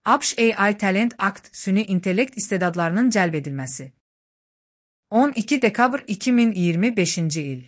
ABŞ AI Talent Act süni intellekt istedadlarının cəlb edilməsi. 12 dekabr 2025-ci il.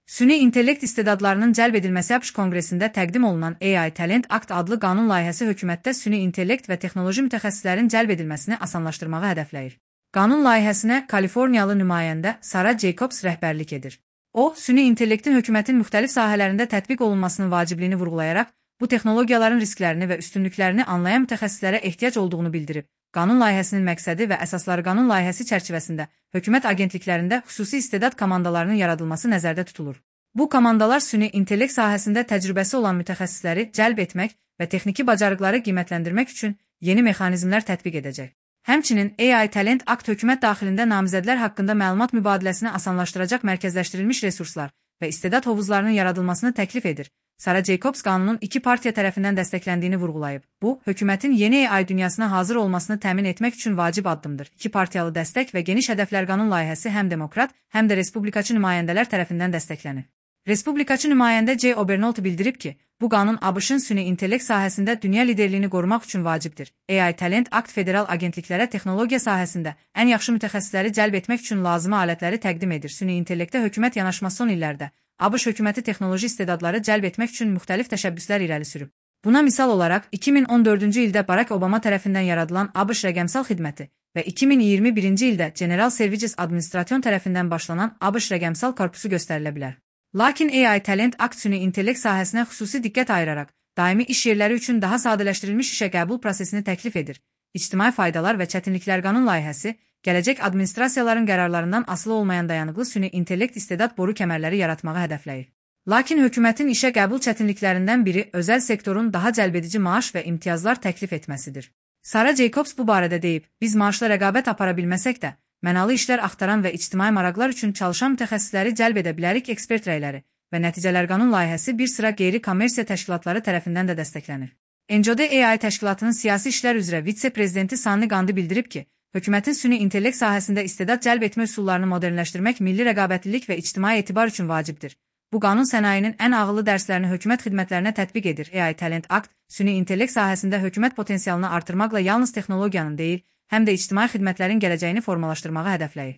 Süni intellekt istedadlarının cəlb edilməsi ABŞ Konqresində təqdim olunan AI Talent Act adlı qanun layihəsi hökumətdə süni intellekt və texnoloji mütəxəssislərin cəlb edilməsini asanlaşdırmağı hədəfləyir. Qanun layihəsinə Kaliforniyalı nümayəndə Sara Jacobs rəhbərlik edir. O, süni intellektin hökumətin müxtəlif sahələrində tətbiq olunmasının vacibliyini vurğulayaraq, bu texnologiyaların risklərini və üstünlüklərini anlayan mütəxəssislərə ehtiyac olduğunu bildirib. Qanun layihəsinin məqsədi və əsasları qanun layihəsi çərçivəsində hökumət agentliklərində xüsusi istedad komandalarının yaradılması nəzərdə tutulur. Bu komandalar süni intellekt sahəsində təcrübəsi olan mütəxəssisləri cəlb etmək və texniki bacarıqları qiymətləndirmək üçün yeni mexanizmlər tətbiq edəcək. Həmçinin AI Talent Act hökumət daxilində namizədlər haqqında məlumat mübadiləsini asanlaşdıracaq mərkəzləşdirilmiş resurslar və istedad hovuzlarının yaradılmasını təklif edir. Sara Jacobs qanunun iki partiya tərəfindən dəstəkləndiyini vurğulayıb. Bu, hökumətin yeni AI dünyasına hazır olmasını təmin etmək üçün vacib addımdır. İki partiyalı dəstək və geniş hədəflər qanun layihəsi həm demokrat, həm də respublikaçı nümayəndələr tərəfindən dəstəklənir. Respublikaçı nümayəndə Jay Obernolte bildirib ki, bu qanun ABŞ-ın süni intellekt sahəsində dünya liderliyini qorumaq üçün vacibdir. AI Talent Act federal agentliklərə texnologiya sahəsində ən yaxşı mütəxəssisləri cəlb etmək üçün lazımi alətləri təqdim edir. Süni intellektə hökumət yanaşması son illərdə ABŞ hökuməti texnoloji istedadları cəlb etmək üçün müxtəlif təşəbbüslər irəli sürüb. Buna misal olaraq 2014-cü ildə Barack Obama tərəfindən yaradılan ABŞ rəqəmsal xidməti və 2021-ci ildə General Services Administration tərəfindən başlanan ABŞ rəqəmsal korpusu göstərilə bilər. Lakin AI Talent Act süni intellekt sahəsinə xüsusi diqqət ayıraraq, daimi iş yerləri üçün daha sadələşdirilmiş işə qəbul prosesini təklif edir. İctimai faydalar və çətinliklər qanun layihəsi, gələcək administrasiyaların qərarlarından asılı olmayan dayanıqlı süni intellekt istedad boru kəmərləri yaratmağı hədəfləyir. Lakin hökumətin işə qəbul çətinliklərindən biri özəl sektorun daha cəlbedici maaş və imtiyazlar təklif etməsidir. Sara Jacobs bu barədə deyib, biz maaşla rəqabət apara bilməsək də, mənalı işlər axtaran və ictimai maraqlar üçün çalışan mütəxəssisləri cəlb edə bilərik ekspert rəyləri və nəticələr qanun layihəsi bir sıra qeyri-kommersiya təşkilatları tərəfindən də dəstəklənir. NCOD AI təşkilatının siyasi işlər üzrə vitse-prezidenti Sanni Gandhi bildirib ki, hökumətin süni intellekt sahəsində istedad cəlb etmə üsullarını modernləşdirmək milli rəqabətlilik və ictimai etibar üçün vacibdir. Bu qanun sənayinin ən ağıllı dərslərini hökumət xidmətlərinə tətbiq edir. AI Talent Act süni intellekt sahəsində hökumət potensialını artırmaqla yalnız texnologiyanın deyil, həm də ictimai xidmətlərin gələcəyini formalaşdırmağı hədəfləyir.